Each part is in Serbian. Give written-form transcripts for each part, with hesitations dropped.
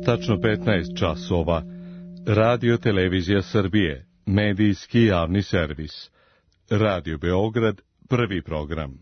Tačno 15 časova. Radio Televizija Srbije, medijski javni servis. Radio Beograd, prvi program.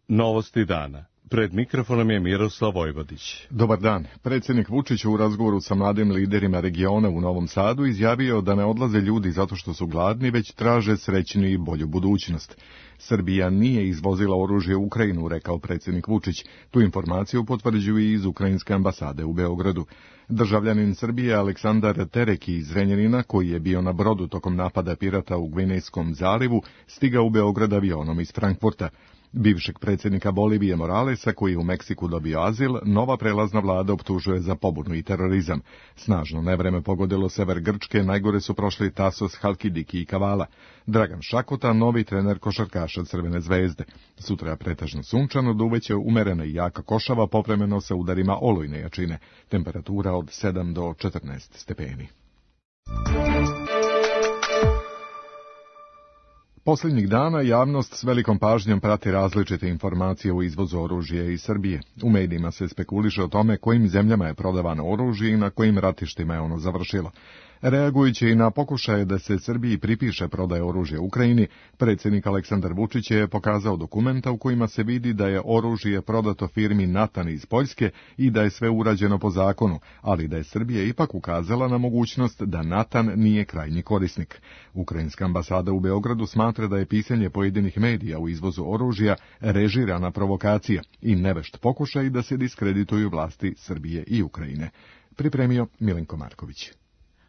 Novosti dana. Pred mikrofonom je Miroslav Vojvodić. Dobar dan. Predsjednik Vučić u razgovoru sa mladim liderima regiona u Novom Sadu izjavio da ne odlaze ljudi zato što su gladni, već traže srećnu i bolju budućnost. Srbija nije izvozila oružje u Ukrajinu, rekao predsjednik Vučić. Tu informaciju potvrđuju i iz Ukrajinske ambasade u Beogradu. Državljanin Srbije Aleksandar Tereki iz Zrenjanina, koji je bio na brodu tokom napada pirata u Gvinejskom zalivu, stigao u Beograd avionom iz Frankfurta. Bivšeg predsjednika Bolivije Moralesa, koji je u Meksiku dobio azil, nova prelazna vlada optužuje za pobunu i terorizam. Snažno nevreme pogodilo sever Grčke, najgore su prošli Tasos, Halkidiki i Kavala. Dragan Šakota, novi trener košarkaša Crvene zvezde. Sutra pretežno sunčano, duveće umerena i jaka košava, povremeno sa udarima olujne jačine. Temperatura od 7 do 14 stepeni. Posljednjih dana javnost s velikom pažnjom prati različite informacije o izvozu oružja iz Srbije. U medijima se spekuliše o tome kojim zemljama je prodavano oružje i na kojim ratištima je ono završilo. Reagujući i na pokušaje da se Srbiji pripiše prodaje oružja Ukrajini, predsjednik Aleksandar Vučić je pokazao dokumenta u kojima se vidi da je oružje prodato firmi Natan iz Poljske i da je sve urađeno po zakonu, ali da je Srbija ipak ukazala na mogućnost da Natan nije krajnji korisnik. Ukrajinska ambasada u Beogradu smatra da je pisanje pojedinih medija u izvozu oružja režirana provokacija i nevešt pokušaj da se diskredituju vlasti Srbije i Ukrajine. Pripremio Milenko Marković.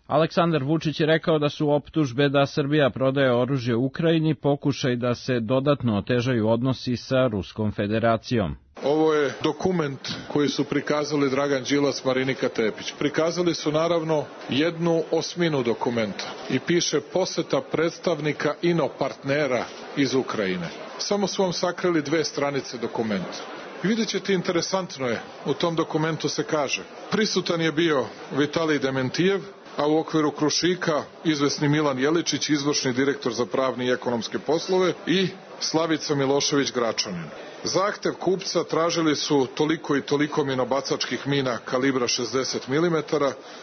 Aleksandar Vučić je rekao da su optužbe da Srbija prodaje oružje Ukrajini pokušaj da se dodatno otežaju odnosi sa Ruskom federacijom. Ovo je dokument koji su prikazali Dragan Đilas, Marinika Tepić. Prikazali su naravno 1/8 dokumenta i piše poseta predstavnika inopartnera iz Ukrajine. Samo su vam sakrili 2 stranice dokumenta. Vidjet ćete, interesantno je, u tom dokumentu se kaže: prisutan je bio Vitalij Dementijev, a u okviru Krušika izvesni Milan Jeličić, izvršni direktor za pravne i ekonomske poslove, i Slavica Milošević Gračanin. Zahtev kupca tražili su toliko i toliko minobacačkih mina kalibra 60 mm,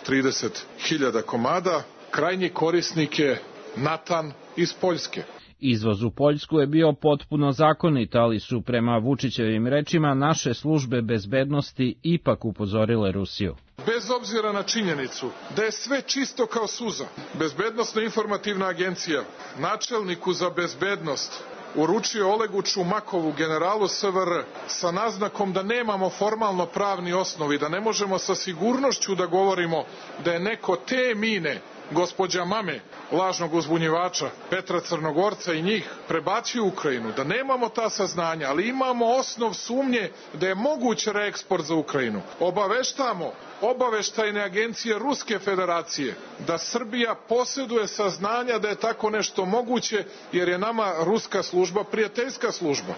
30.000 komada. Krajnji korisnik je Natan iz Poljske. Izvoz u Poljsku je bio potpuno zakonit, ali su prema Vučićevim rečima naše službe bezbednosti ipak upozorile Rusiju. Bez obzira na činjenicu da je sve čisto kao suza, Bezbednosno-informativna agencija načelniku za bezbednost uručio Olegu Čumakovu, generalu SVR, sa naznakom da nemamo formalno pravni osnov i da ne možemo sa sigurnošću da govorimo da je neko te mine, gospođa Mame, lažnog uzbunjivača Petra Crnogorca i njih, prebacio u Ukrajinu, da nemamo ta saznanja, ali imamo osnov sumnje da je moguć reeksport za Ukrajinu. Obaveštamo obaveštajne agencije Ruske federacije da Srbija posjeduje saznanja da je tako nešto moguće, jer je nama ruska služba prijateljska služba.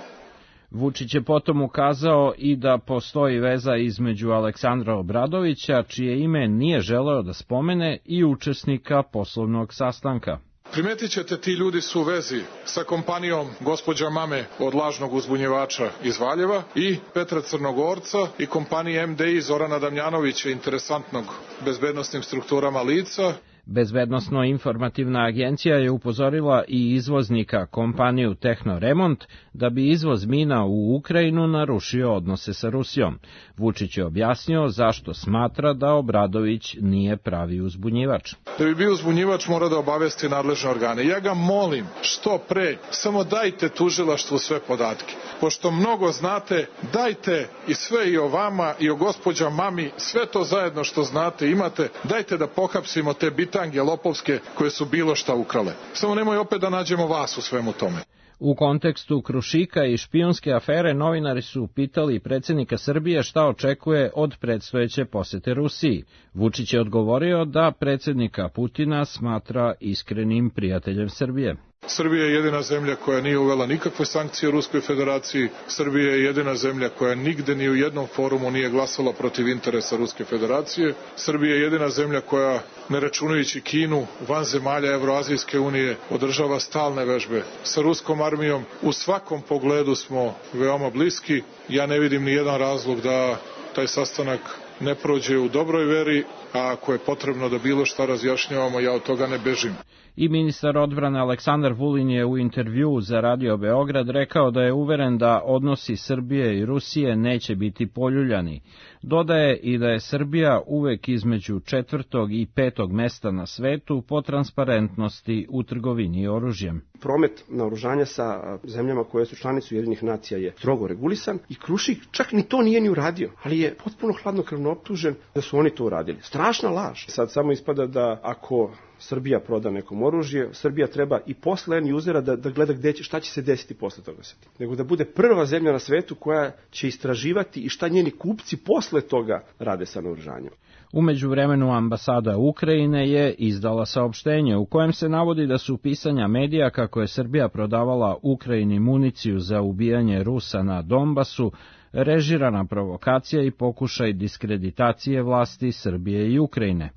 Vučić je potom ukazao i da postoji veza između Aleksandra Obradovića, čije ime nije želeo da spomene, i učesnika poslovnog sastanka. Primetit ćete, ti ljudi su u vezi sa kompanijom gospođa Mame od lažnog uzbunjivača iz Valjeva i Petra Crnogorca i kompanije MDI Zorana Damjanovića, interesantnog bezbednosnim strukturama lica. Bezbednosno-informativna agencija je upozorila i izvoznika, kompaniju Tehnoremont, da bi izvoz mina u Ukrajinu narušio odnose sa Rusijom. Vučić je objasnio zašto smatra da Obradović nije pravi uzbunjivač. Da bi bio uzbunjivač mora da obavesti nadležne organe. Ja ga molim, što pre, samo dajte tužilaštvu sve podatke. Pošto mnogo znate, dajte i sve i o vama i o gospođa Mami, sve to zajedno što znate imate, dajte da pohapsimo te bitange lopovske koje su bilo šta ukrale. Samo nemoj opet da nađemo vas u svemu tome. U kontekstu Krušika i špijunske afere novinari su pitali predsjednika Srbije šta očekuje od predstojeće posete Rusiji. Vučić je odgovorio da predsjednika Putina smatra iskrenim prijateljem Srbije. Srbija je jedina zemlja koja nije uvela nikakve sankcije Ruskoj federaciji. Srbija je jedina zemlja koja nigde ni u jednom forumu nije glasala protiv interesa Ruske federacije. Srbija je jedina zemlja koja, ne računajući Kinu, van zemalja Evroazijske unije, održava stalne vežbe sa ruskom armijom. U svakom pogledu smo veoma bliski. Ja ne vidim ni jedan razlog da taj sastanak ne prođe u dobroj veri, a ako je potrebno da bilo šta razjašnjavamo, ja od toga ne bežim. I ministar odbrane Aleksandar Vulin je u intervjuu za Radio Beograd rekao da je uveren da odnosi Srbije i Rusije neće biti poljuljani. Dodaje i da je Srbija uvek između 4. i 5. mesta na svetu po transparentnosti u trgovini oružjem. Promet naoružanja sa zemljama koje su članice Ujedinjenih nacija je strogo regulisan i Krušik čak ni to nije ni uradio, ali je potpuno hladnokrvno optužen da su oni to uradili. Strašna laž. Sad samo ispada da ako Srbija proda nekom oružje, Srbija treba i posle end usera da gleda šta će se desiti posle toga. Nego da bude prva zemlja na svetu koja će istraživati i šta njeni kupci posle toga rade sa naoružanjem. U međuvremenu ambasada Ukrajine je izdala saopštenje u kojem se navodi da su pisanja medija kako je Srbija prodavala Ukrajini municiju za ubijanje Rusa na Donbasu režirana provokacija i pokušaj diskreditacije vlasti Srbije i Ukrajine.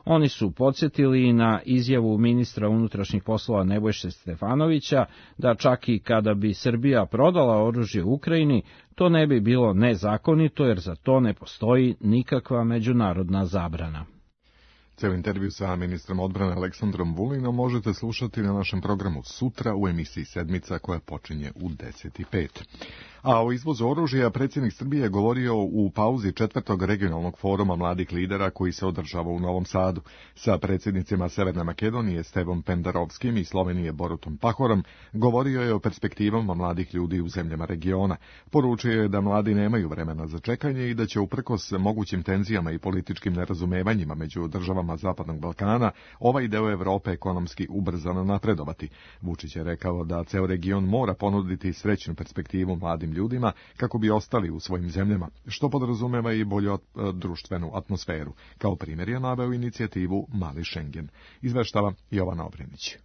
Oni su podsjetili i na izjavu ministra unutrašnjih poslova Nebojše Stefanovića da čak i kada bi Srbija prodala oružje Ukrajini, to ne bi bilo nezakonito jer za to ne postoji nikakva međunarodna zabrana. Ceo intervju sa ministrom odbrane Aleksandrom Vulinom možete slušati na našem programu sutra u emisiji Sedmica koja počinje u 10:05. A o izvozu oružja predsjednik Srbije je govorio u pauzi 4. regionalnog foruma mladih lidera koji se održava u Novom Sadu. Sa predsjednicima Severne Makedonije Stevom Pendarovskim i Slovenije Borutom Pahorom govorio je o perspektivama mladih ljudi u zemljama regiona. Poručio je da mladi nemaju vremena za čekanje i da će uprkos mogućim tenzijama i političkim nerazumevanjima među državama Zapadnog Balkana ovaj deo Evrope ekonomski ubrzano napredovati. Vučić je rekao da ceo region mora ponuditi srećnu perspektivu mladim ljudima kako bi ostali u svojim zemljama, što podrazumeva i bolju društvenu atmosferu. Kao primjer je naveo inicijativu Mali Schengen. Izveštava Jovana Obrenić.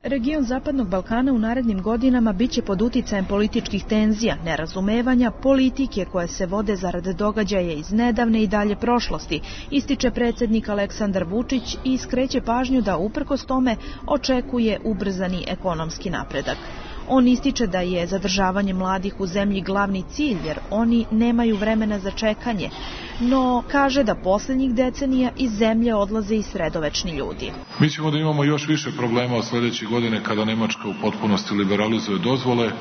Region Zapadnog Balkana u narednim godinama biće pod uticajem političkih tenzija, nerazumevanja, politike koje se vode zarad događaja iz nedavne i dalje prošlosti, ističe predsjednik Aleksandar Vučić i skreće pažnju da uprkos tome očekuje ubrzani ekonomski napredak. On ističe da je zadržavanje mladih u zemlji glavni cilj jer oni nemaju vremena za čekanje, no kaže da posljednjih decenija iz zemlje odlaze i sredovečni ljudi. Mi ćemo da imamo još više problema od sljedeće godine kada Nemačka u potpunosti liberalizuje dozvole.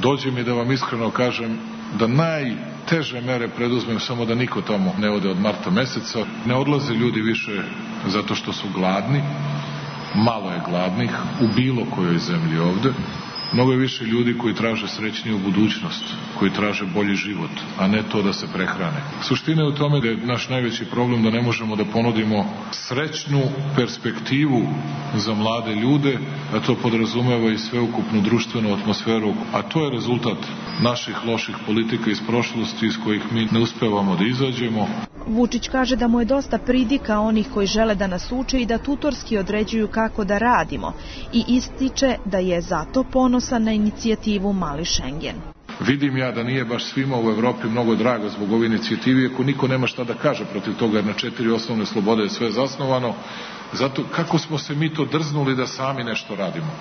Dođe mi da vam iskreno kažem da najteže mere preduzmem samo da niko tamo ne ode od marta meseca. Ne odlaze ljudi više zato što su gladni, malo je gladnih u bilo kojoj zemlji ovde. Mnogo je više ljudi koji traže srećniju budućnost, koji traže bolji život, a ne to da se prehrane. Suština je u tome da je naš najveći problem da ne možemo da ponudimo srećnu perspektivu za mlade ljude, a to podrazumeva i sveukupnu društvenu atmosferu, a to je rezultat naših loših politika iz prošlosti iz kojih mi ne uspevamo da izađemo. Vučić kaže da mu je dosta pridika onih koji žele da nas uče i da tutorski određuju kako da radimo i ističe da je zato ponosan na inicijativu Mali Schengen. Vidim ja da nije baš svima u Evropi mnogo drago zbog ove inicijative, ako niko nema šta da kaže protiv toga, jer na 4 osnovne slobode je sve zasnovano. Zato kako smo se mi to drznuli da sami nešto radimo.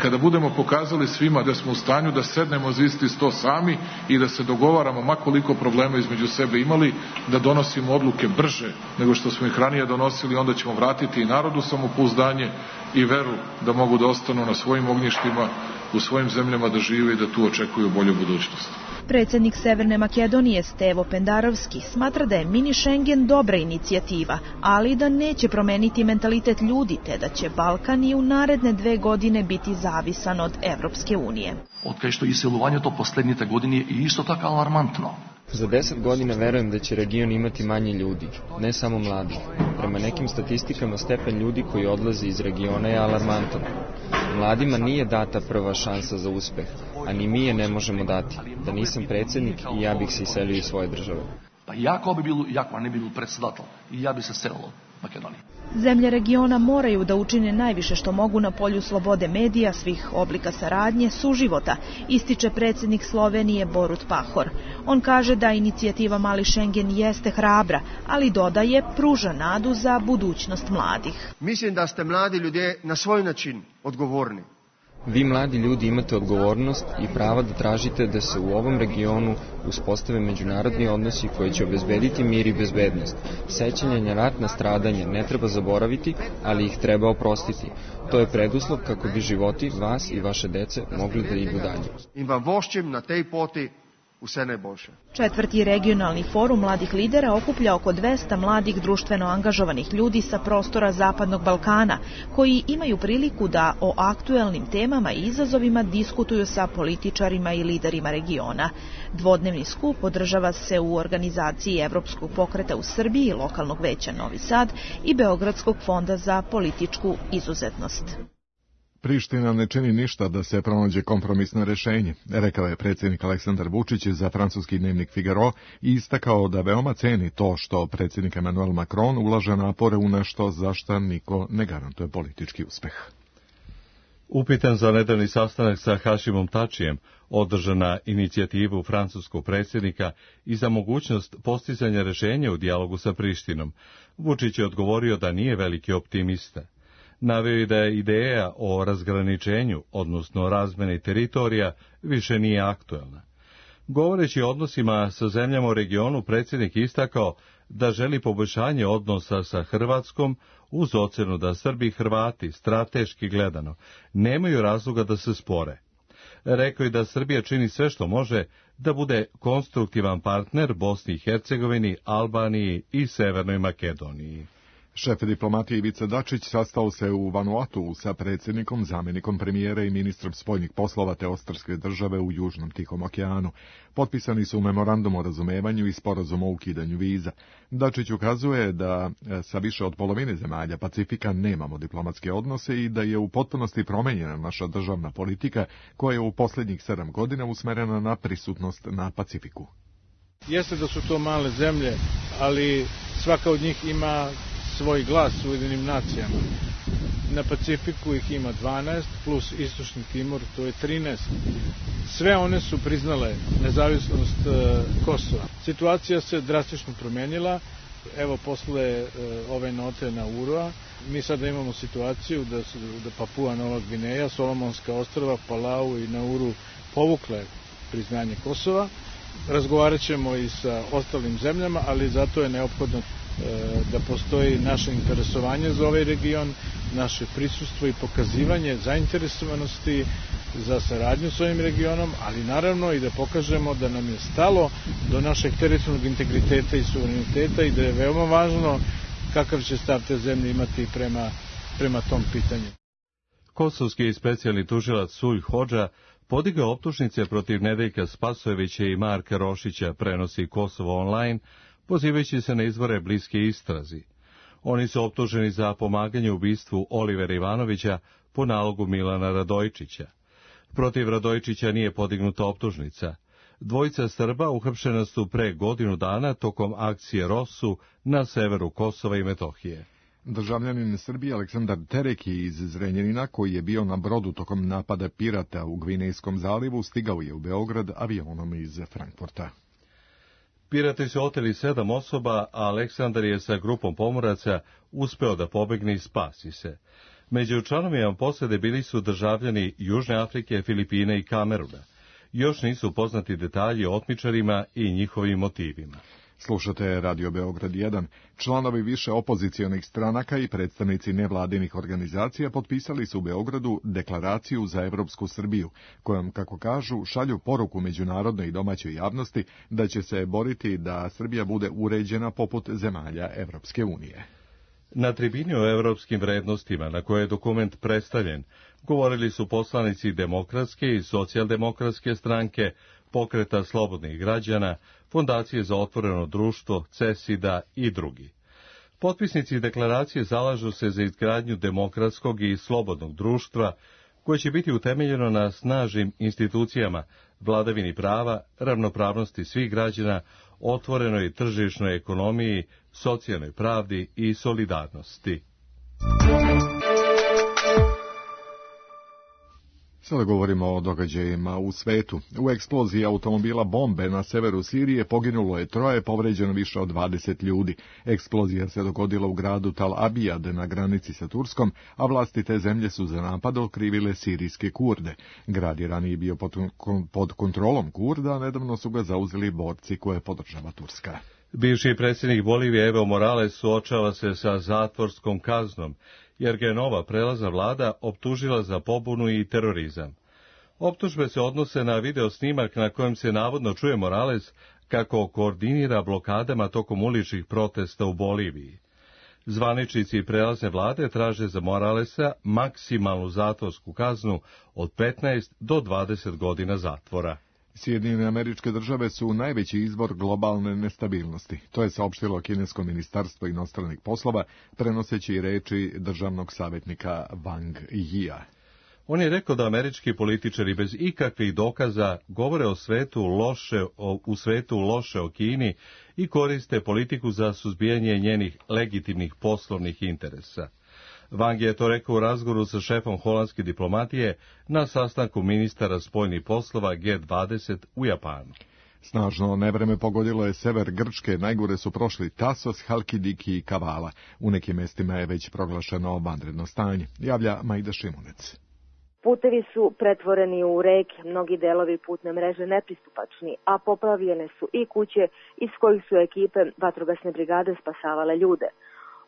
Kada budemo pokazali svima da smo u stanju da sednemo za isti sto sami i da se dogovaramo, ma koliko problema između sebe imali, da donosimo odluke brže nego što smo ih ranije donosili, onda ćemo vratiti i narodu samopouzdanje i veru da mogu da ostanu na svojim ognjištima, u svojim zemljama da žive i da tu očekuju bolju budućnost. Predsjednik Severne Makedonije Stevo Pendarovski smatra da je mini Schengen dobra inicijativa, ali da neće promeniti mentalitet ljudi, te da će Balkan i u naredne 2 godine biti zavisan od Evropske unije. Otkaj što iseljavanje to posljednjite godine je isto tako alarmantno. Za 10 godina verujem da će region imati manje ljudi, ne samo mladih. Prema nekim statistikama stepen ljudi koji odlaze iz regiona je alarmantan. Mladima nije data prva šansa za uspeh, a ni mi je ne možemo dati. Da nisam predsjednik i ja bih se iselio iz svoje države. Pa jako ne bi bil predsjedatelj i ja bi se selilo. Makedoniji. Zemlje regiona moraju da učine najviše što mogu na polju slobode medija, svih oblika saradnje, suživota, ističe predsjednik Slovenije Borut Pahor. On kaže da inicijativa Mali Schengen jeste hrabra, ali dodaje pruža nadu za budućnost mladih. Mislim da ste mladi ljudje na svoj način odgovorni. Vi mladi ljudi imate odgovornost i prava da tražite da se u ovom regionu uspostave međunarodni odnosi koji će obezbediti mir i bezbednost. Sećanje na ratna stradanja ne treba zaboraviti, ali ih treba oprostiti. To je preduslov kako bi životi vas i vaše dece mogli da idu dalje. In vam voščim na tej poti vse najboljše. Četvrti regionalni forum mladih lidera okuplja oko 200 mladih društveno angažovanih ljudi sa prostora Zapadnog Balkana, koji imaju priliku da o aktuelnim temama i izazovima diskutuju sa političarima i liderima regiona. Dvodnevni skup održava se u organizaciji Evropskog pokreta u Srbiji, lokalnog veća Novi Sad i Beogradskog fonda za političku izuzetnost. Priština ne čini ništa da se pronađe kompromisno rešenje, rekao je predsjednik Aleksandar Vučić za francuski dnevnik Figaro i istakao da veoma ceni to što predsjednik Emmanuel Macron ulaže napore u nešto za što niko ne garantuje politički uspeh. Upitan za nedavni sastanak sa Hašimom Tačijem, održan na inicijativu francuskog predsjednika i za mogućnost postizanja rešenja u dijalogu sa Prištinom, Vučić je odgovorio da nije veliki optimista. Naveo je da je ideja o razgraničenju, odnosno razmeni teritorija, više nije aktuelna. Govoreći o odnosima sa zemljama u regionu, predsjednik istakao da želi poboljšanje odnosa sa Hrvatskom uz ocenu da Srbi i Hrvati, strateški gledano, nemaju razloga da se spore. Rekao je da Srbija čini sve što može da bude konstruktivan partner Bosni i Hercegovini, Albaniji i Severnoj Makedoniji. Šef diplomatije Ivica Dačić sastao se u Vanuatu sa predsjednikom, zamjenikom premijera i ministrom spoljnih poslova te Ostrvske države u Južnom Tihom okeanu. Potpisani su memorandum o razumevanju i sporazum o ukidanju viza. Dačić ukazuje da sa više od polovine zemalja Pacifika nemamo diplomatske odnose i da je u potpunosti promenjena naša državna politika koja je u posljednjih 7 godina usmerena na prisutnost na Pacifiku. Jeste da su to male zemlje, ali svaka od njih ima svoj glas u Ujedinim nacijama. Na Pacifiku ih ima 12, plus Istočni Timor, to je 13. Sve one su priznale nezavisnost Kosova. Situacija se drastično promenila. Evo, posle ove note na Urua, mi sada imamo situaciju da Papua Nova Gvineja, Solomonska ostrva, Palau i Nauru povukle priznanje Kosova. Razgovarat ćemo i sa ostalim zemljama, ali zato je neophodno da postoji naše interesovanje za ovaj region, naše prisustvo i pokazivanje zainteresovanosti za saradnju s ovim regionom, ali naravno i da pokažemo da nam je stalo do našeg teritorijalnog integriteta i suvereniteta i da je veoma važno kakav će stav te zemlje imati prema tom pitanju. Kosovski specijalni tužilac Sulj Hodža podigao optužnice protiv Nedeljka Spasojevića i Marka Rošića, prenosi Kosovo online, pozivajući se na izvore bliske istrazi. Oni su optuženi za pomaganje u ubistvu Olivera Ivanovića po nalogu Milana Radojčića. Protiv Radojčića nije podignuta optužnica. Dvojica Srba uhapšena su pre godinu dana tokom akcije Rosu na severu Kosova i Metohije. Državljanin Srbije Aleksandar Tereki iz Zrenjanina, koji je bio na brodu tokom napada pirata u Gvinejskom zalivu, stigao je u Beograd avionom iz Frankfurta. Pirati su oteli 7 osoba, a Aleksandar je sa grupom pomoraca uspeo da pobegne i spasi se. Među članovima posade bili su državljani Južne Afrike, Filipine i Kameruna. Još nisu poznati detalji o otmičarima i njihovim motivima. Slušate Radio Beograd 1. Članovi više opozicionih stranaka i predstavnici nevladinih organizacija potpisali su u Beogradu deklaraciju za Evropsku Srbiju, kojom, kako kažu, šalju poruku međunarodnoj i domaćoj javnosti da će se boriti da Srbija bude uređena poput zemalja Evropske unije. Na tribini o evropskim vrednostima, na koje je dokument predstavljen, govorili su poslanici Demokratske i Socijaldemokratske stranke, Pokreta slobodnih građana, Fondacije za otvoreno društvo, CESID-a i drugi. Potpisnici deklaracije zalažu se za izgradnju demokratskog i slobodnog društva koje će biti utemeljeno na snažnim institucijama, vladavini prava, ravnopravnosti svih građana, otvorenoj tržišnoj ekonomiji, socijalnoj pravdi i solidarnosti. Sada govorimo o događajima u svetu. U eksploziji automobila bombe na severu Sirije poginulo je 3, povređeno više od 20 ljudi. Eksplozija se dogodila u gradu Tal Abijad na granici sa Turskom, a vlasti te zemlje su za napad okrivile sirijske Kurde. Grad je ranije bio pod kontrolom Kurda, a nedavno su ga zauzeli borci koje podržava Turska. Bivši predsjednik Bolivije Evo Morales suočava se sa zatvorskom kaznom, jer ga je nova prelazna vlada optužila za pobunu i terorizam. Optužbe se odnose na video snimak na kojem se navodno čuje Morales kako koordinira blokadama tokom uličnih protesta u Boliviji. Zvaničnici prelazne vlade traže za Moralesa maksimalnu zatvorsku kaznu od 15 do 20 godina zatvora. Sjedinjene Američke Države su najveći izvor globalne nestabilnosti. To je saopštilo kinesko ministarstvo inostranih poslova, prenoseći reči državnog savjetnika Wang Yia. On je rekao da američki političari bez ikakvih dokaza govore u svetu loše o Kini i koriste politiku za suzbijanje njenih legitimnih poslovnih interesa. Wang je to rekao u razgovoru sa šefom holandske diplomatije na sastanku ministara spoljnih poslova G20 u Japanu. Snažno nevreme pogodilo je sever Grčke, najgore su prošli Tasos, Halkidiki i Kavala. U nekim mestima je već proglašeno vanredno stanje, javlja Majda Šimunec. Putevi su pretvoreni u reke, mnogi delovi putne mreže nepristupačni, a poplavljene su i kuće iz kojih su ekipe vatrogasne brigade spasavale ljude.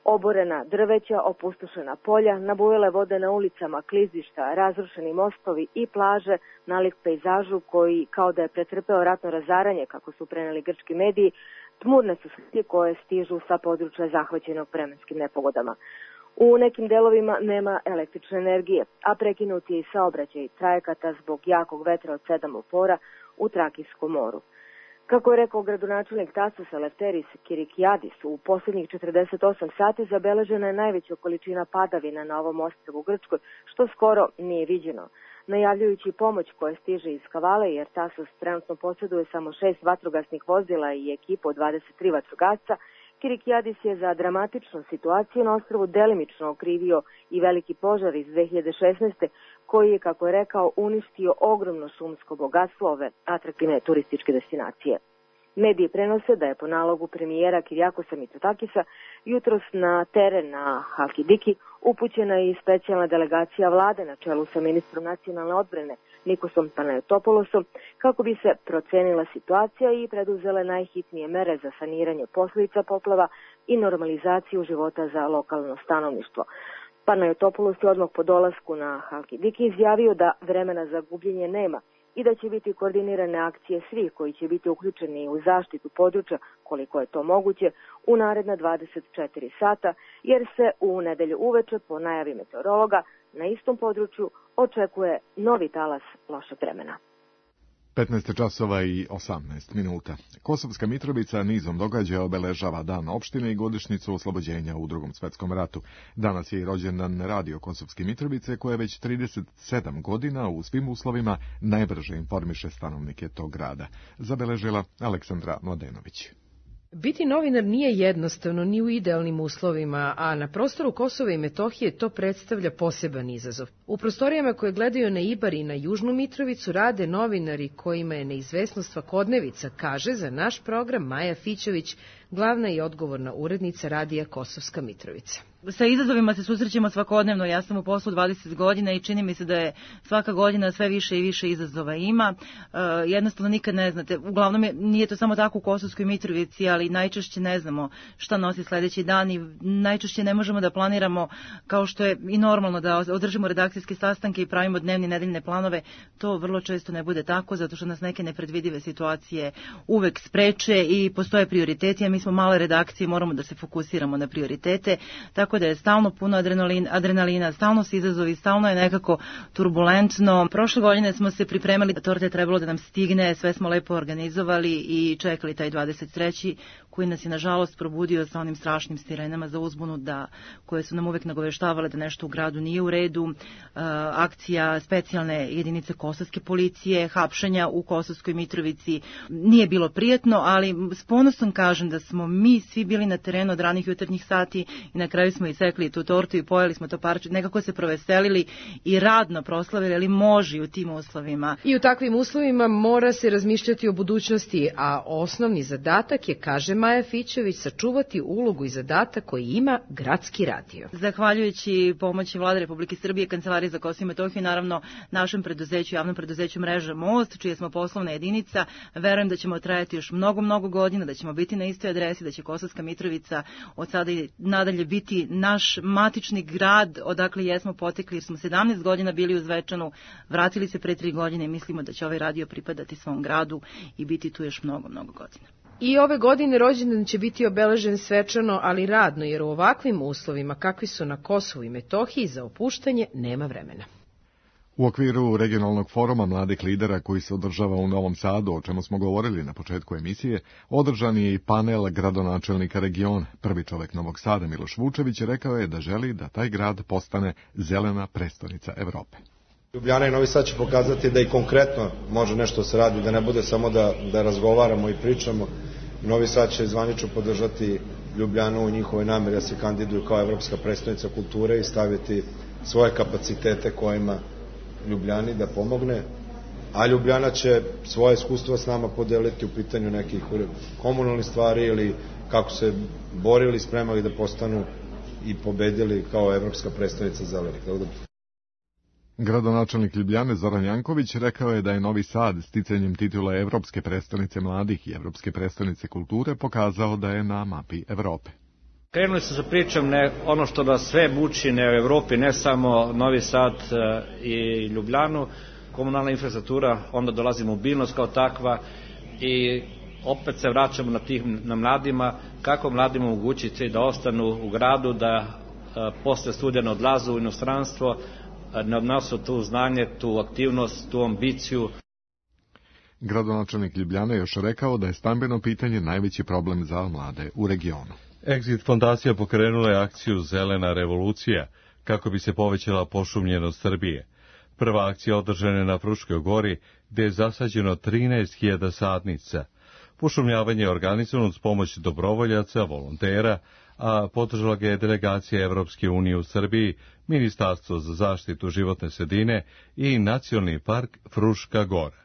Oborena drveća, opustošena polja, nabujele vode na ulicama, klizišta, razrušeni mostovi i plaže, nalik pejzažu koji, kao da je pretrpeo ratno razaranje, kako su preneli grčki mediji, tmurne su slike koje stižu sa područja zahvaćenog vremenskim nepogodama. U nekim delovima nema električne energije, a prekinut je i saobraćaj trajekata zbog jakog vetra od 7 upora u Trakijskom moru. Kako je rekao gradonačelnik Tasosa Lefteris Kirikijadis, u posljednjih 48 sati zabeležena je najveća količina padavina na ovom ostrvu u Grčkoj, što skoro nije viđeno. Najavljujući pomoć koja stiže iz Kavale, jer Tasos trenutno posjeduje samo 6 vatrogasnih vozila i ekipu od 23 vatrogasca, Kirikijadis je za dramatičnu situaciju na ostrvu delimično okrivio i veliki požar iz 2016. koji je, kako je rekao, uništio ogromno šumsko bogatstvo ove atraktivne turističke destinacije. Mediji prenose da je po nalogu premijera Kirijakosa Mitsotakisa jutros na teren na Halkidiki upućena i specijalna delegacija vlade na čelu sa ministrom nacionalne odbrane Nikosom Panayotopoulosom kako bi se procenila situacija i preduzele najhitnije mere za saniranje posljedica poplava i normalizaciju života za lokalno stanovništvo. Panayotopoulos je odmah po dolasku na Halkidiki izjavio da vremena za gubljenje nema i da će biti koordinirane akcije svih koji će biti uključeni u zaštitu područja, koliko je to moguće, u naredna 24 sata, jer se u nedelju uveče, po najavi meteorologa, na istom području očekuje novi talas lošeg vremena. 15 časova i 18 minuta. Kosovska Mitrovica nizom događaja obeležava dan opštine i godišnjicu oslobođenja u Drugom svetskom ratu. Danas je i rođendan radio Kosovske Mitrovice, koja već 37 godina u svim uslovima najbrže informiše stanovnike tog grada. Zabeležila Aleksandra Mladenović. Biti novinar nije jednostavno ni u idealnim uslovima, a na prostoru Kosova i Metohije to predstavlja poseban izazov. U prostorijama koje gledaju na Ibar i na Južnu Mitrovicu rade novinari kojima je neizvesnost svakodnevica, kaže za naš program Maja Fićović, glavna i odgovorna urednica radija Kosovska Mitrovica. Sa izazovima se susrećemo svakodnevno. Ja sam u poslu 20 godina i čini mi se da je svaka godina sve više i više izazova ima. Jednostavno nikad ne znate. Uglavnom nije to samo tako u Kosovskoj Mitrovici, ali najčešće ne znamo šta nosi sledeći dan i najčešće ne možemo da planiramo, kao što je i normalno da održimo redakcijske sastanke i pravimo dnevne nedeljne planove. To vrlo često ne bude tako, zato što nas neke nepredvidive situacije uvek spreče i postoje prioriteti, a mi smo male redakcije, moramo da se fokusiramo na prioritete, tako da je stalno puno adrenalina, stalno se izazovi, stalno je nekako turbulentno. Prošle godine smo se pripremali, torte je trebalo da nam stigne, sve smo lepo organizovali i čekali taj 23. koji nas je nažalost probudio sa onim strašnim sirenama za uzbunu koje su nam uvek nagoveštavale da nešto u gradu nije u redu, akcija specijalne jedinice kosovske policije, hapšenja u Kosovskoj Mitrovici. Nije bilo prijatno, ali s ponosom kažem da smo mi svi bili na terenu od ranih jutarnjih sati i na kraju smo isekli tu tortu i pojeli smo to parče, nekako se proveselili i radno proslavili, ali može u tim uslovima. I u takvim uslovima mora se razmišljati o budućnosti, a osnovni zadatak je, kaže Maja Fićević, sačuvati ulogu i zadatak koji ima gradski radio. Zahvaljujući pomoći Vlade Republike Srbije, Kancelarije za Kosovo i Metohiju, naravno našem preduzeću, javnom preduzeću Mreža Most, čija smo poslovna jedinica, verujem da ćemo trajati još mnogo godina, da ćemo biti na istoj adresi, da će Kosovska Mitrovica od sada i nadalje biti naš matični grad odakle jesmo potekli, jer smo 17 godina bili u Zvečanu, vratili se pre 3 godine i mislimo da će ovaj radio pripadati svom gradu i biti tu još mnogo godina. I ove godine rođendan će biti obeležen svečano, ali radno, jer u ovakvim uslovima kakvi su na Kosovu i Metohiji za opuštanje nema vremena. U okviru regionalnog foruma mladih lidera koji se održava u Novom Sadu, o čemu smo govorili na početku emisije, održan je i panel gradonačelnika regiona. Prvi čovek Novog Sada, Miloš Vučević, rekao je da želi da taj grad postane zelena prestonica Evrope. Ljubljana i Novi Sad će pokazati da i konkretno može nešto se radi, da ne bude samo da razgovaramo i pričamo. Novi Sad će zvanično podržati Ljubljanu u njihovoj nameri da se kandiduju kao evropska prestonica kulture i staviti svoje kapacitete kojima Ljubljani da pomogne, a Ljubljana će svoje iskustva s nama podeliti u pitanju nekih komunalnih stvari ili kako se borili, spremali da postanu i pobedili kao evropska prestonica zelenih. Gradonačelnik Ljubljane Zoran Janković rekao je da je Novi Sad sticanjem titula Evropske prestonice mladih i Evropske prestonice kulture pokazao da je na mapi Evrope. Krenuli su sa pričom ono što nas sve muči u Evropi, ne samo Novi Sad i Ljubljanu, komunalna infrastruktura, onda dolazi mobilnost kao takva i opet se vraćamo na mladima, kako mladima omogućiti da ostanu u gradu, da posle studija ne odlaze u inostranstvo, ne odnosu tu znanje, tu aktivnost, tu ambiciju. Gradonačelnik Ljubljane još rekao da je stambeno pitanje najveći problem za mlade u regionu. Exit fondacija pokrenula je akciju Zelena revolucija kako bi se povećala pošumljenost Srbije. Prva akcija održana je na Fruškoj gori, gde je zasađeno 13.000 sadnica. Pošumljavanje je organizovano uz pomoć dobrovoljaca, volontera, a podržala ga je delegacija Evropske unije u Srbiji, Ministarstvo za zaštitu životne sredine i Nacionalni park Fruška gora.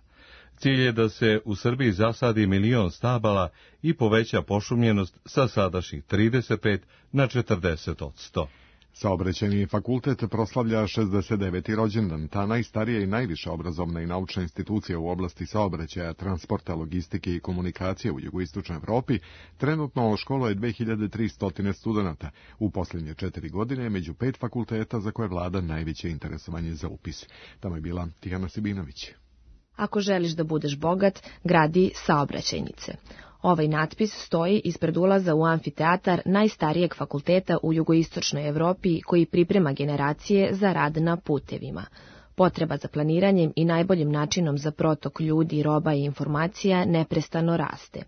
Cilj je da se u Srbiji zasadi 1.000.000 stabala i poveća pošumljenost sa sadašnjih 35 na 40%. Saobraćajni fakultet proslavlja 69. rođendan. Ta najstarija i najviša obrazovna i naučna institucija u oblasti saobraćaja, transporta, logistike i komunikacije u jugoistočnoj Evropi trenutno školuje 2300 studenata. U posljednje 4 godine među 5 fakulteta za koje vlada najveće interesovanje za upis. Tamo je bila Tijana Sibinović. Ako želiš da budeš bogat, gradi saobraćajnice. Ovaj natpis stoji ispred ulaza u amfiteatar najstarijeg fakulteta u jugoistočnoj Evropi koji priprema generacije za rad na putevima. Potreba za planiranjem i najboljim načinom za protok ljudi, roba i informacija neprestano raste.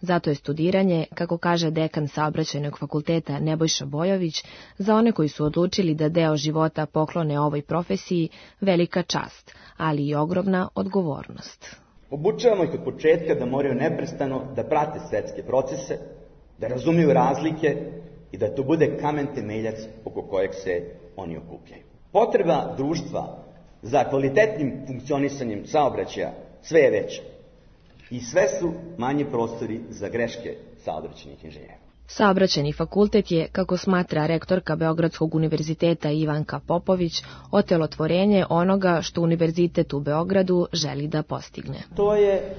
Zato je studiranje, kako kaže dekan Saobraćajnog fakulteta Nebojša Bojović, za one koji su odlučili da deo života poklone ovoj profesiji, velika čast, ali i ogromna odgovornost. Obučavamo ih od početka da moraju neprestano da prate svetske procese, da razumiju razlike i da to bude kamen temeljac oko kojeg se oni okupljaju. Potreba društva za kvalitetnim funkcionisanjem saobraćaja sve je veća i sve su manji prostori za greške saobraćajnih inženjera. Saobraćajni fakultet je, kako smatra rektorka Beogradskog univerziteta Ivanka Popović, otelotvorenje onoga što Univerzitet u Beogradu želi da postigne. To je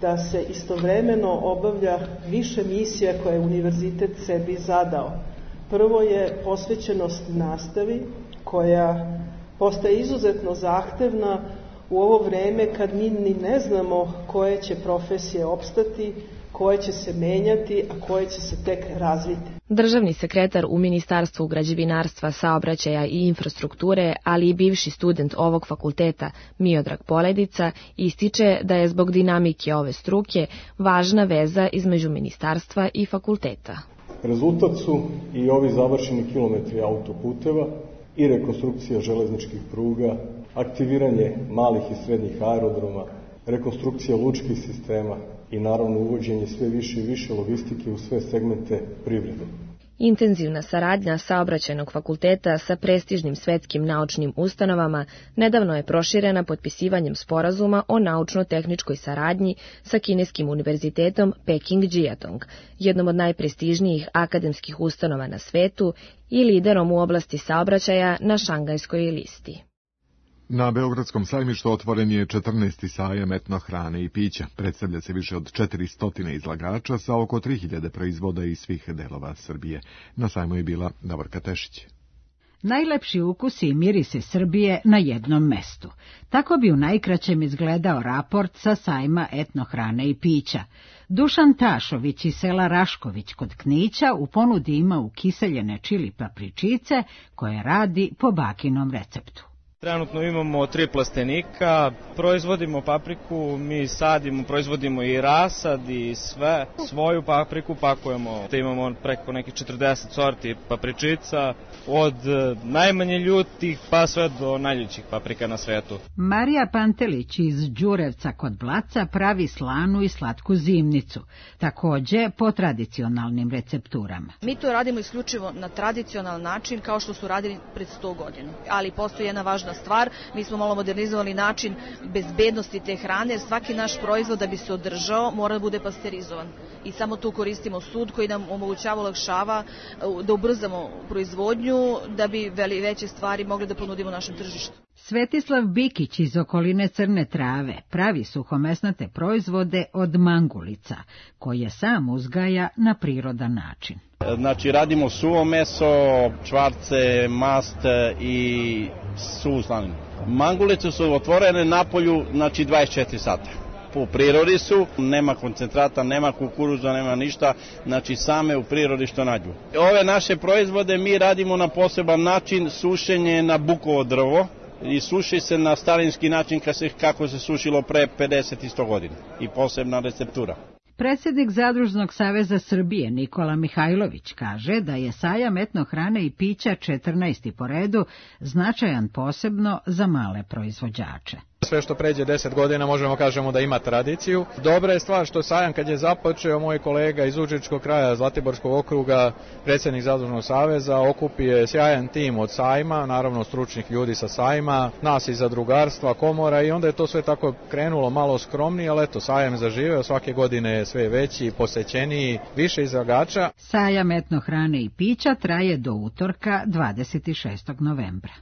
da se istovremeno obavlja više misija koje je univerzitet sebi zadao. Prvo je posvećenost nastavi, koja postaje izuzetno zahtevna u ovo vreme kad mi ni ne znamo koje će profesije opstati, koje će se menjati, a koje će se tek razviti. Državni sekretar u Ministarstvu građevinarstva, saobraćaja i infrastrukture, ali i bivši student ovog fakulteta Miodrag Poledica, ističe da je zbog dinamike ove struke važna veza između ministarstva i fakulteta. Rezultat su i ovi završeni kilometri autoputeva i rekonstrukcija železničkih pruga, aktiviranje malih i srednjih aerodroma, rekonstrukcija lučkih sistema i naravno uvođenje sve više i više logistike u sve segmente privrede. Intenzivna saradnja Saobraćajnog fakulteta sa prestižnim svetskim naučnim ustanovama nedavno je proširena potpisivanjem sporazuma o naučno-tehničkoj saradnji sa kineskim univerzitetom Peking-Jiatong, jednom od najprestižnijih akademskih ustanova na svetu i liderom u oblasti saobraćaja na Šangajskoj listi. Na Beogradskom sajmištu otvoren je 14. sajam etno hrane i pića. Predstavlja se više od 400 izlagača sa oko 3000 proizvoda iz svih delova Srbije. Na sajmu je bila Davorka Tešić. Najlepši ukusi i mirisi Srbije na jednom mestu. Tako bi u najkraćem izgledao raport sa sajma etno hrane i pića. Dušan Tašović iz sela Rašković kod Knića u ponudi ima ukiseljene čili papričice koje radi po bakinom receptu. Trenutno imamo 3 plastenika, proizvodimo papriku, mi sadimo, proizvodimo i rasad i sve. Svoju papriku pakujemo, te imamo preko nekih 40 sorti papričica, od najmanje ljutih pa sve do najljućih paprika na svetu. Marija Pantelić iz Đurevca kod Blaca pravi slanu i slatku zimnicu, takođe po tradicionalnim recepturama. Mi to radimo isključivo na tradicionalan način kao što su radili pred 100 godina, ali postoji jedna važna stvar, mi smo malo modernizovali način bezbednosti te hrane, jer svaki naš proizvod da bi se održao mora da bude pasterizovan. I samo tu koristimo sud koji nam omogućava, olakšava da ubrzamo proizvodnju, da bi veće stvari mogli da ponudimo našem tržištu. Svetislav Bikić iz okoline Crne Trave pravi suhomesnate proizvode od mangulica, koje sam uzgaja na prirodan način. Znači radimo suvo meso, čvarce, mast i suvu slaninu. Mangulice su otvorene na polju, znači 24 sata. Po prirodi su, nema koncentrata, nema kukuruza, nema ništa, znači same u prirodi što nađu. Ove naše proizvode mi radimo na poseban način, sušenje na bukovo drvo i suši se na starinski način kako se sušilo pre 50 i 100 godina i posebna receptura. Predsjednik Zadružnog saveza Srbije Nikola Mihajlović kaže da je sajam etno hrane i pića 14. po redu značajan posebno za male proizvođače. Sve što pređe 10 godina možemo kažemo da ima tradiciju. Dobra je stvar što sajam kad je započeo, moj kolega iz Užičkog kraja Zlatiborskog okruga, predsjednik Zadružnog saveza, okupio sjajan tim od sajma, naravno stručnih ljudi sa sajma, nas iz zadrugarstva, komora i onda je to sve tako krenulo malo skromnije, ali eto, sajam zaživeo, svake godine je sve veći, posećeniji, više izlagača. Sajam etno hrane i pića traje do utorka 26. novembra.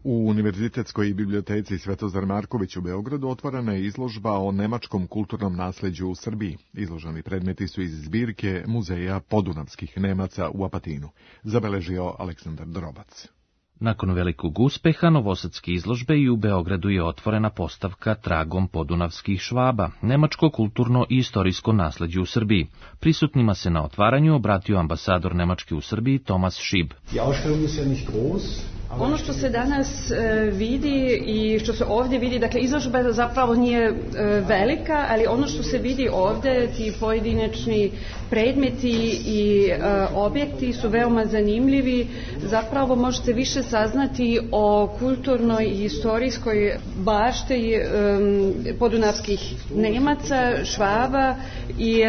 U Univerzitetskoj biblioteci Svetozar Marković u Beogradu otvorena je izložba o nemačkom kulturnom nasleđu u Srbiji. Izloženi predmeti su iz zbirke Muzeja podunavskih Nemaca u Apatinu, zabeležio Aleksandar Drobac. Nakon velikog uspeha novosadske izložbe i u Beogradu je otvorena postavka Tragom podunavskih Švaba, nemačko kulturno i istorijsko nasleđe u Srbiji. Prisutnima se na otvaranju obratio ambasador Nemačke u Srbiji Thomas Schieb. Ono što se danas vidi i što se ovdje vidi, dakle izložba zapravo nije velika, ali ono što se vidi ovdje, ti pojedinačni predmeti i objekti su veoma zanimljivi. Zapravo možete više saznati o kulturnoj i istorijskoj bašti podunavskih Nemaca, Švaba i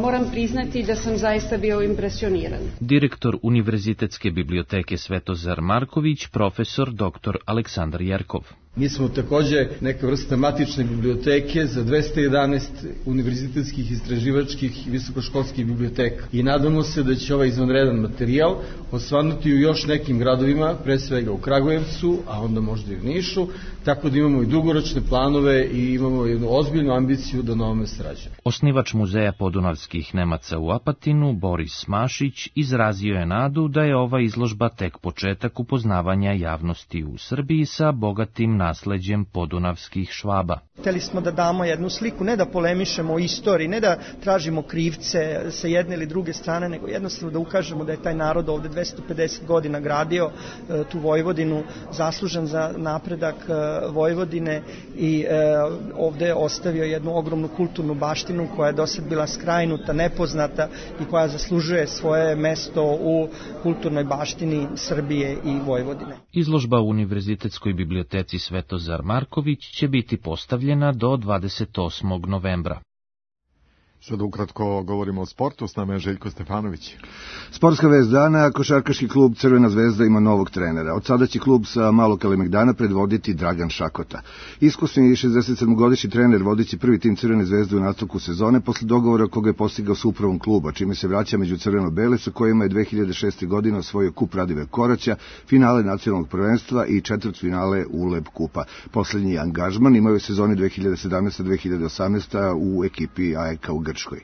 moram priznati da sam zaista bio impresioniran. Direktor Univerzitetske biblioteke Svetozar Marković, profesor dr. Aleksandar Jerkov. Mi smo takođe neka vrsta matične biblioteke za 211 univerzitetskih, istraživačkih i visokoškolskih biblioteka. I nadamo se da će ovaj izvanredan materijal osvanuti u još nekim gradovima, pre svega u Kragujevcu, a onda možda i u Nišu, tako da imamo i dugoročne planove i imamo jednu ozbiljnu ambiciju da na ovome sarađujemo. Osnivač Muzeja podunavskih Nemaca u Apatinu, Boris Mašić, izrazio je nadu da je ova izložba tek početak upoznavanja javnosti u Srbiji sa bogatim nasleđem podunavskih Švaba. Hteli smo da damo jednu sliku, ne da polemišemo o istoriji, ne da tražimo krivce sa jedne ili druge strane, nego jednostavno da ukažemo da je taj narod ovde 250 godina gradio tu Vojvodinu, zaslužan za napredak Vojvodine i ovde je ostavio jednu ogromnu kulturnu baštinu koja je do sad bila skrajnuta, nepoznata i koja zaslužuje svoje mesto u kulturnoj baštini Srbije i Vojvodine. Izložba u Univerzitetskoj biblioteci Svetozar Marković će biti postavljena do 28. novembra. Sada ukratko govorimo o sportu, s nama je Željko Stefanović. Sportska vest dana, košarkaški klub Crvena zvezda ima novog trenera. Od sada će klub sa Malog Kalemegdana predvoditi Dragan Šakota. Iskusni 67-godišnji trener vodići prvi tim Crvene zvezde u nastavku sezone posle dogovora koga je postigao s upravom kluba, čime se vraća među crveno-bele sa kojima je 2006. godine osvojio kup Radive Koraća, finale nacionalnog prvenstva i četvrtfinale ULEB kupa. Poslednji angažman imao je u sezoni 2017-2018 u ekipi AEK u Grčkoj.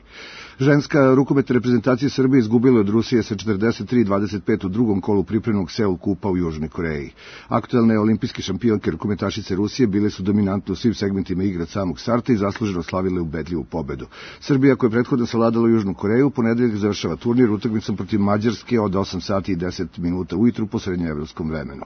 Ženska rukometna reprezentacija Srbije izgubila od Rusije sa 43-25 u drugom kolu pripremnog Seul kupa u Južnoj Koreji. Aktuelne olimpijske šampionke rukometašice Rusije bile su dominantne u svim segmentima igre od samog starta i zasluženo slavile ubedljivu pobedu. Srbija, koja je prethodno savladala Južnu Koreju, u ponedeljak završava turnir utakmicom protiv Mađarske od 8 sati i 10 minuta ujutru po srednjoevropskom vremenu.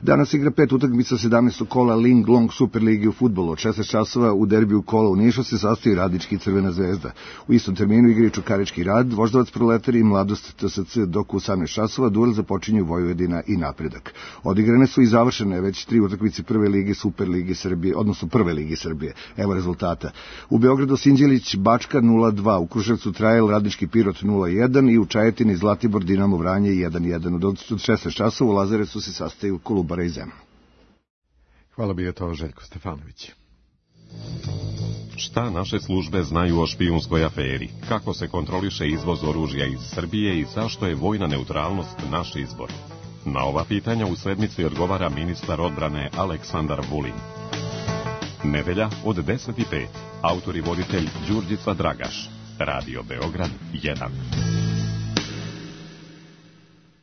Danas igra 5 utakmica 17. kola Ling Long Super Ligi u fudbalu. Od 16 časova u derbiju kola u Nišu se sastoji Radnički i Crvena zvezda. U istom terminu igri Čukarički Rad, Voždovac Proletari i Mladost TSC, dok u 18 časova duel započinju Vojvodina i Napredak. Odigrane su i završene već 3 utakmice Prve lige Super Lige Srbije, odnosno Prve lige Srbije. Evo rezultata. U Beogradu Sinđelić Bačka 0-2, u Kruševcu Trajal Radnički Pirot 0-1 i u Čajetini Zlatibor Dinamo Vranje 1-1. Od 16 časova u Lazarecu se sastaju Kolubara i Zemun. Hvala bi je to Željko Stefanović. Šta naše službe znaju o špijunskoj aferi? Kako se kontroliše izvoz oružja iz Srbije i zašto je vojna neutralnost naš izbor? Na ova pitanja u sedmici odgovara ministar odbrane Aleksandar Vulin. Nedelja od 10:05. Autor i voditelj Đurđica Dragaš. Radio Beograd 1.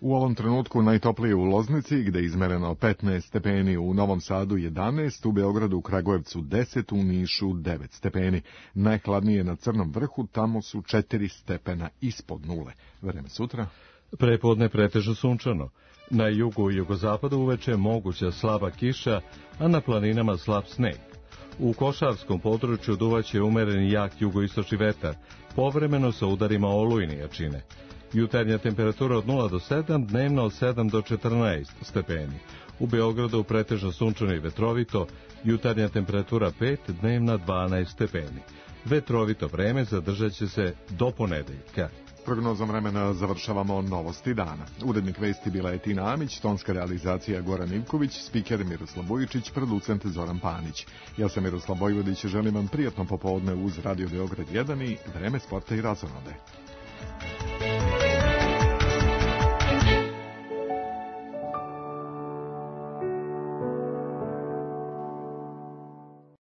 U ovom trenutku najtoplije u Loznici, gde je izmereno 15 stepeni, u Novom Sadu 11, u Beogradu, u Kragujevcu 10, u Nišu 9 stepeni. Najhladnije na Crnom vrhu, tamo su 4 stepena ispod nule. Vreme sutra. Prepodne pretežno sunčano. Na jugu i jugozapadu uveče moguća slaba kiša, a na planinama slab sneg. U Košarskom području duvaće umeren jak jugoistočni vetar, povremeno sa udarima olujne jačine. Jutarnja temperatura od 0 do 7, dnevna od 7 do 14 stepeni. U Beogradu pretežno sunčano i vetrovito, jutarnja temperatura 5, dnevna 12 stepeni. Vetrovito vreme zadržat će se do ponedeljka. Prognozom vremena završavamo novosti dana. Urednik vesti bila je Tina Amić, tonska realizacija Goran Ivković, spiker Miroslav Vujičić, producent Zoran Panić. Ja sam Miroslav Vojvodić i želim vam prijatno popodne uz Radio Beograd 1 i vreme sporta i razonode.